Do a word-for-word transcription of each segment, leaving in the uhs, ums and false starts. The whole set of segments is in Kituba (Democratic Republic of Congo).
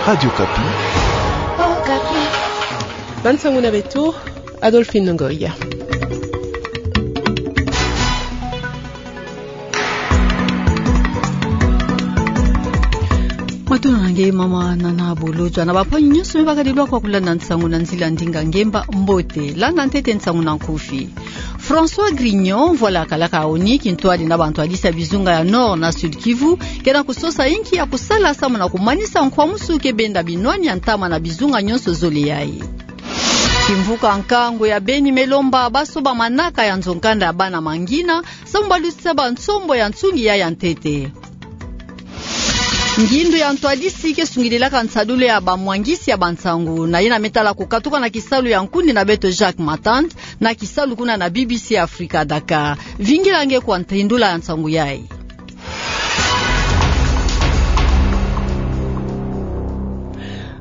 Radio Okapi. Bana nsangu na beto, Adolphine Ngoyi. Matondo na nge mama Nana Bolodjwa na bampangi nyonso me bakadilwa kwa kulanda nsangu na nzila ndinga ngemba mbote. Landa ntete nsangu na nkufi. François Grignon, mvwala kalaka ONU, kintwadi na bantwadisi ya bizunga ya Nord na Sud-Kivu, ke na kusosa inki ya kusala samu na kumanisa nkwamusu ke benda binwani ya ntama na bizunga nyonso zole yayi. Kimvuka nkangu ya Beni me lomba basoba manaka ya nzo-nkanda ya bana mangina, samu balutisa bansombo ya nsungi ya ya ntete. Ngindu ya ntwadisi ke sungidilaka nsadulu ya bamwangisi ya bansangu, na yina me tala kukatuka na kisalu ya nkundi na beto Jacques Matand, na kisalu kuna na B B C Africa Dakar. Vingila nge kwa ntindula ya nsangu yayi.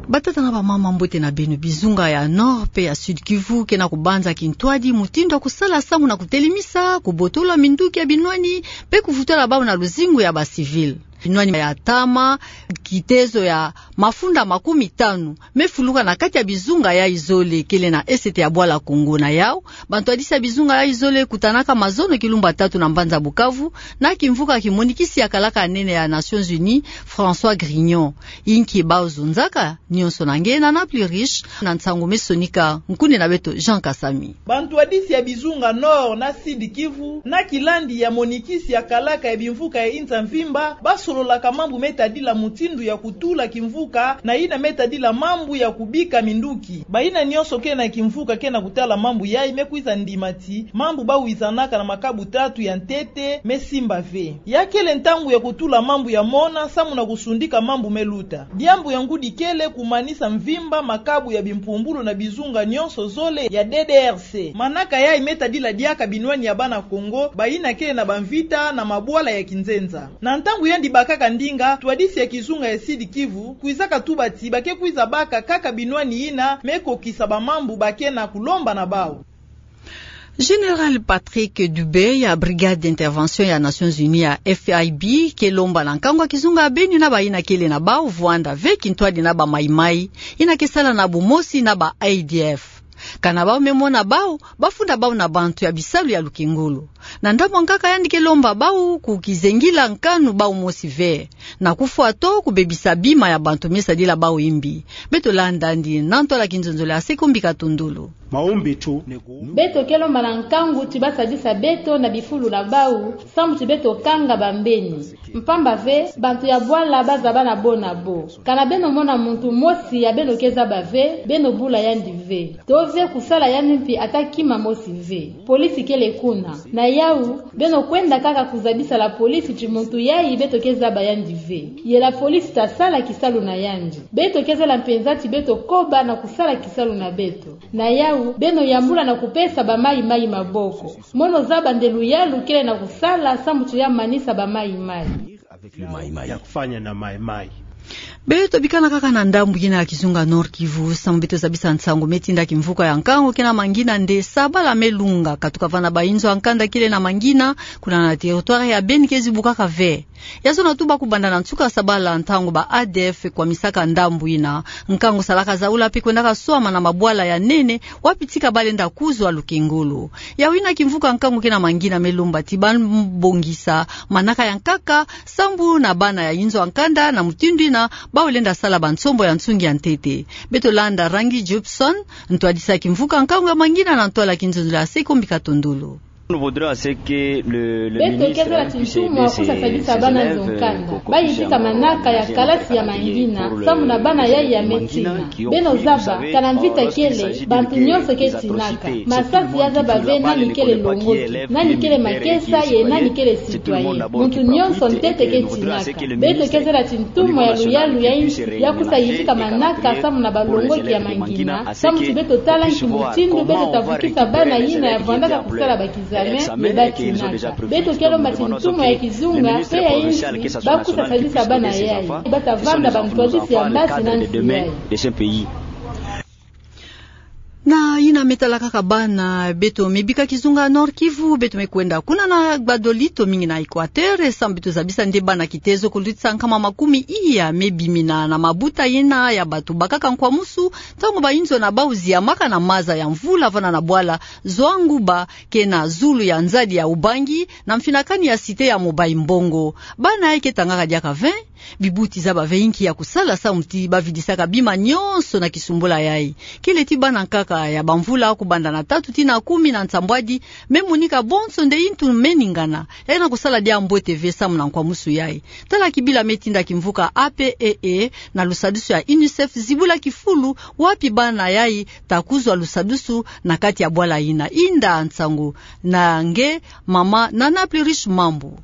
Batata na bamama, mbote na beno. Bizunga ya Nord pe ya Sud-Kivu ke na kubanza kintwadi mutindu ya kusala samu na kutelemisa, kubotola minduki ya binwani, pe kuvutula bau na luzingu ya bacivil. Binwani ya ntama, kitezo ya mafunda makumi tanu, me fuluka na kati ya bizunga yayi zole kele na Est ya bwala Congo. Na yau, bantwadisi ya bizunga yayi zole kutanaka mazono kilumbu tatu na mbanza Bukavu, na kimvuka kimonikisi ya kalaka nene ya Nations Unies, François Grignon. Inki bau zonzaka? Nyonso na nge Nana Pluriche, na nsangu me sonika nkundi na beto Jean Kasami. Bantwadisi ya bizunga Nord na Sud-Kivu, na kilandi ya monikisi ya kalaka ya bimvuka ya inza mvimba, basololaka mambu me tadila mutindu ya kutula kimvuka, na yina me tadila mambu ya kubika minduki. Bayina nyonso ke na kimvuka ke na kutala mambu yayi me kwiza ndima ti mambu bawizanaka na makabu tatu ya ntete me simba ve. Ya kele ntangu ya kutula mambu ya mona samu na kusundika mambu me luta. Diambu ya ngudi kele kumanisa mvimba makabu ya bimpumbulu na bizunga nyonso zole ya D D R C. Manaka yayi me tadila diaka binwani ya bana Congo, bayina kele na bamvita na mabwala ya kinzenza. Na ntangu yandi bakaka ndinga, ntwadisi ya kizunga ya Sud-Kivu kwizaka tuba ti ba ke kwiza baka kaka binwani yina me kokisa bamambu ba ke na kulomba na bau. Général Patrick Dubé ya Brigade d'Intervention ya Nations Unies ya F I B ke lomba na nkangu ya kizunga ya Beni na bayina kele na bau vwanda ve kintwadi na ba Mai-Mai, yina ke sala na bumosi na ba A D F. Kana bau me mona bau, bafunda bau na bantu ya bisalu ya lukengolo. Na ndambu ya nkaka yandi ke lomba bau kukizengila nkanu bau mosi ve, na kufwa to kubebisa bima ya bantu me sadila bau imbi. Beto landa yandi na ntwala kinzonzolo ya Seko Mbika Tondolo. Beto ke lomba na nkangu ti basadisa beto na bifulu na bau, samu ti beto kanga bambeni. Mpamba ve, bantu ya bwala bazaba na bo na bo. Kana beno mona muntu mosi ya beno ke zaba ve, beno bula yandi ve. To ve kusala yandi mpi ata kima mosi ve. Polisi kele kuna. Na yau, beno kwenda kaka kuzabisa la police ti muntu yayi beto ke zaba yandi ve. Ye la police ta sala kisalu na yandi. Beto ke zala mpenza ti beto koba na kusala kisalu na beto. Na yau, beno yambula na kupesa ba Mai-Mai maboko. Mono zaba nde luyalu kele na kusala samu ti ya manisa ba Mai-Mai. Ya kufanya na Mai-Mai. Beto bikana kaka na ndambu yina ya kizunga Nord-Kivu, samu beto zabisa nsangu me tinda kimvuka ya nkangu ke na mangina nde sabala me lunga, katuka vana ba inzo ya nkanda kele na mangina, kuna na territoire ya Beni ke zibukaka ve. Ya zona tuba kubanda na nsuka sabala ntangu ba A D F kwamisaka ndambu yina. Nkangu salaka zaula mpe kwendaka swama na mabwala ya nene, wapi tika balenda kuzwa lukengolo. Yau yina kimvuka nkangu ke na mangina me lomba ti bana bongisa manaka ya nkaka, sambu na bana ya inzo ya nkanda na mutindu yina bau lenda sala bansombo ya nsungi ya ntete. Beto landa Rangi Jobson, ntwadisi ya kimvuka nkangu ya mangina na ntwala kinzonzolo ya Seko Mbika Tondolo. Beto ke zala ti ntumwa kusa sadisa bana nzo nkanda. Bayizika manaka ya kalasi ya mangina, samu na bana yayi ya me tina. Beno zaba, kana mvita kele, bantu nyonso ke tinaka. Masasi ya zaba ve nani kele longoki, nani kele makesa ye nani kele citoyen. Muntu nyonso ntete ke tinaka. Beto ke zala ti ntumwa ya luyalu ya insi, ya kusa yizika manaka samu na balongoki ya mangina, samu ti beto tala nki mutindu beto ta vukisa bana yina ya vwandaka kusala ba kizame, ye ba tinaka. Beto ke lomba ti ntumwa ya kizunga mpe ya insi, ba kusa sadisa bana yayi. Ba ta vanda bantwadisi ya mbasi na nsi yayi. Na yina me talakaka bana, beto me bika kizunga Nord-Kivu, beto me kwenda kuna na gbadolito mingi na Equateur, e samu beto zabisa nde bana kitezo kulutisa nkama makumi iya me bimina na mabuta yina ya bato bakaka nkwamusu, ntangu bainzo na bau ziamaka na maza ya mvula vana na bwala Zoanguba, ke na zulu ya nzadi ya Ubangi, na mfinakani ya cité ya Mobayi-Mbongo. Bana yayi ke tangaka diaka ve, bibuti zaba ve inki ya kusala samu ti bavidisaka bima nyonso na kisumbula yayi. Kele ti bana nkaka ya bamvula kubanda na tatu tii na kumi na nsambwadi, me monika bonso nde intu me ningana, yayi na kusala diambote ve samu na nkwamusu yayi. Tala kibila me tinda kimvuka A P E E na lusadusu ya UNICEF zibula kifulu wapi bana yayi ta kuzwa lusadusu na kati ya bwala yina. Inda nsangu na nge mama Nana Plurish Mambu.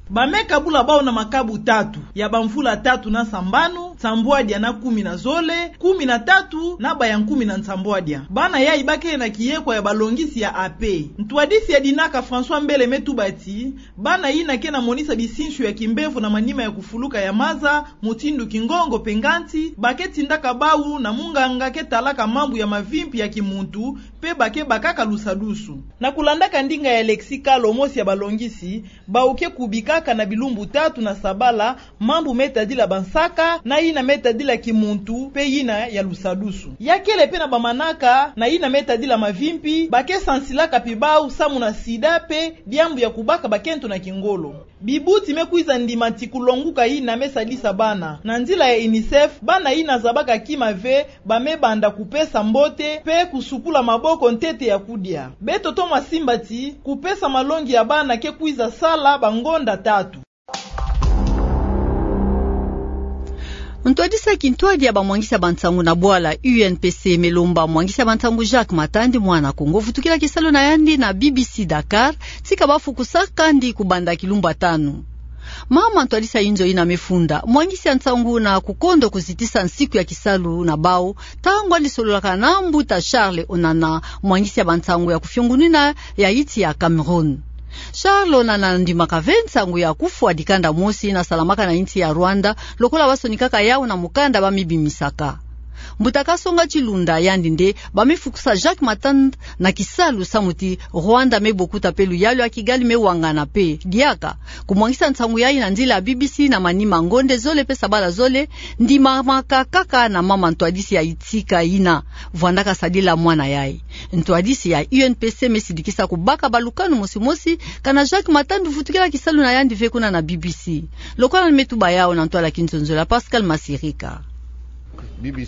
Ba me kabula bau na makabu tatu, ya bamvula tatu na sambanu, nsambwadia na kumi na zole, kumi na tatu, na baya nkumi na nsambwadia. Bana yayi ba kele na kiyekwa ya balongisi ya A P. Ntwadisi ya dinaka François Mbele me tuba ti, bana yina ke na monisa bisinsu ya kimbevo na manima ya kufuluka ya maza, mutindu kingongo mpe nganti, ba ke tindaka bau na munganga ke talaka mambu ya mavimpi ya kimuntu, mpe ba ke bakaka lusadusu. Na kulandaka ndinga ya Alexis Kalo, mosi ya balongisi, bau ke kubikaka na bilumbu tatu na sabala mambu me tadila bansaka, na yina me tadila kimuntu, mpe yina ya lusadusu. Ya kele mpe na bamanaka na yina me tadila mavimpi, ba ke sansilaka mpi bau samu na sida mpe diambu ya kubaka bakento na kingolo. Bibuti me kwiza ndima ti kulonguka yina me sadisa bana. Na nzila ya UNICEF, bana yina zabaka kima ve, ba me banda kupesa mbote, mpe kusukula maboko ntete ya kudia. Beto tomo simba ti, kupesa malongi ya bana ke kwiza sala bangonda tatu. Ntwadisi ya kintwadi ya bamwangisi ya bansangu na bwala U N P C me lomba mwangisi ya bansangu Jacques Matand, mwana Kongo, vutukila kisalu na yandi na B B C Dakar, ti ka bafukusaka ndi kubanda kilumbu tanu. Mama ntwadisi ya inzo yina me funda mwangisi ya nsangu na kukondo kuzitisa nsiku ya kisalu na bau, ntangu yandi sololaka na mbuta Charles Onana, mwangisi ya bansangu ya kufiongunina ya insi ya Cameroun. Charles Onana andimaka ve nsangu ya kufwa dikanda mosi yina salamaka na insi ya Rwanda, lokola basonikaka yau na mukanda ba me bimisaka. Mbuta Kasonga Chilunda yandi nde ba me fukusa Jacques Matand na kisalu samu ti Rwanda me bokuta mpe luyalu ya Kigali me wangana mpe. Diaka kumwangisa nsangu yayi na nzila ya B B C na manima ngonde zole mpe sabala zole, ndimamaka kaka na mama ntwadisi ya insi yina, vwandaka sadila mwana yayi. Ntwadisi ya U N P C me sidikisa kubaka balukanu mosi mosi, kana Jacques Matand vutukila kisalu na yandi ve kuna na B B C. Lokola me tuba yau na ntwala ya kinzonzolo ya Pascal Masirika. B B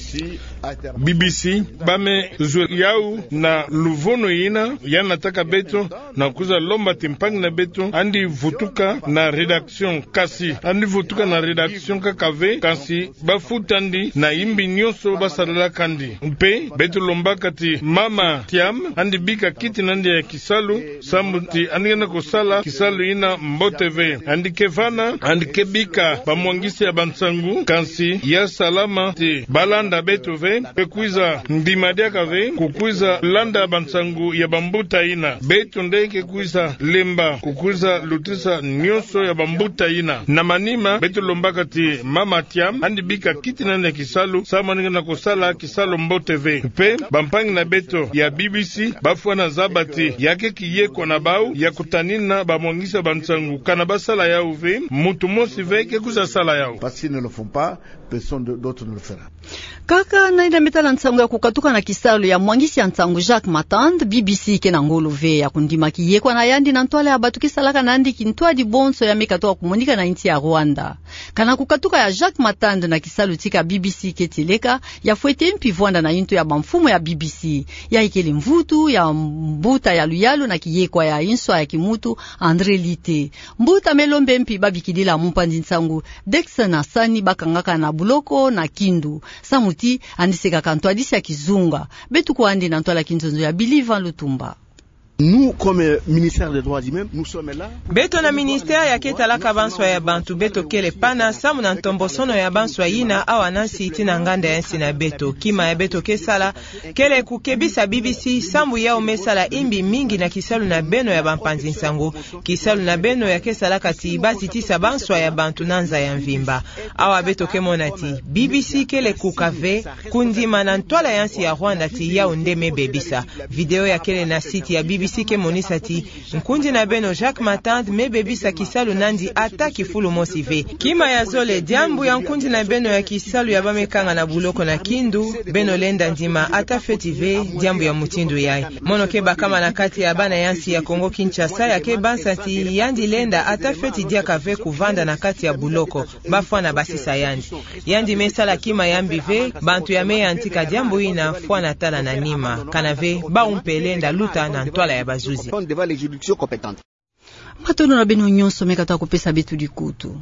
C, ba me zwe yau na luvunu yina, yandi nataka beto, na kwiza lomba ti mpangi na beto yandi vutuka na rédaction, kasi yandi vutuka na rédaction kaka ve, kasi bafuta yandi na yimbi nyonso basalalaka yandi. Mpe beto lombaka ti mama Thiam yandi bika kiti na yandi ya kisalu, samu ti yandi ngana kusala kisalu yina mbote ve. Yandi ke vana, yandi ke bika bamwangisi ya bansangu, kasi ya salama ti balanda beto ve, ke kwiza ndima diaka ve, kukwiza landa bansangu ya bambuta yina. Beto nde ke kwiza lemba, kukwiza lutisa nyonso ya bambuta yina. Na manima, beto lombaka ti mama Thiam yandi bika kiti na yandi ya kisalu, samu yandi ngana kusala kisalu mbote ve. Mpe bampangi na beto ya B B C bafwana zaba ti ya ke kiyekwa na bau ya kutanina bamwangisi ya bansangu, kana basala yau ve, muntu mosi ve ke kwiza sala yau. Parce qu'ils ne le font pas, personne de-, d'autre ne le fera. Kaka na yina me tala nsangu ya kukatuka na kisalu ya mwangisi ya nsangu Jacques Matand, B B C ke na ngolo ve ya kundima kiyekwa na yandi na ntwala ya bato ke salaka na yandi kintwadi bonso ya me katuka kumonika na insi ya Rwanda. Kana kukatuka ya Jacques Matand na kisalu tika B B C ke tieleka, ya fwete mpi vwanda na yinto ya bamfumu ya B B C. Yayi kele mvutu ya mbuta ya luyalu na kiyekwa ya nswa ya kimuntu, André Lite. Mbuta me lombe mpi babikidila mumpanzi nsangu Dexon Asani bakangaka na buloko na Kindu, samu ti yandi sekaka ntwadisi ya kizunga. Beto kua yandi na ntwala ya kinzonzolo ya Billy Van Lutumba. Nous, comme ministère des droits humains, nous sommes là. Beto na ministère ya ke talaka banswa ya bantu, beto kele pana samu na ntombosono ya banswa yina awa na nsi tina nganda ya nsi na beto. Kima ya beto ke sala kele kukebisa B B C sambu yau me sala imbi mingi na kisalu na beno ya bampanzi-nsangu. Kisalu na beno ya ke salaka ti ba zitisa banswa ya bantu na nza ya mvimba. Awa beto ke mona ti B B C kele kuka ve, kundima na ntwala ya nsi ya Rwanda ti yau nde me bebisa. Video ya kele na site ya B B C ke monisa ti nkundi na beno Jacques Matand me bebisa kisalu nandi ata kifulu mosi ve. Kima ya zole, diambu ya nkundi na beno ya kisalu ya ba me kanga na buloko na Kindu, beno lenda ndima ata fioti ve diambu ya mutindu yayi. Mono ke bakama na kati ya bana ya nsi ya Congo-Kinshasa ya ke bansa ti yandi lenda ata fioti diaka ve kuvanda na kati ya buloko, ba fwana basisa yandi. Yandi me sala kima ya mbi ve, bantu ya me yantika diambu yina fwana tala na nima, kana ve bau mpe lenda luta na ntwala ya bazuzi. Matondo na beno nyonso me katuka kupesa beto dikutu.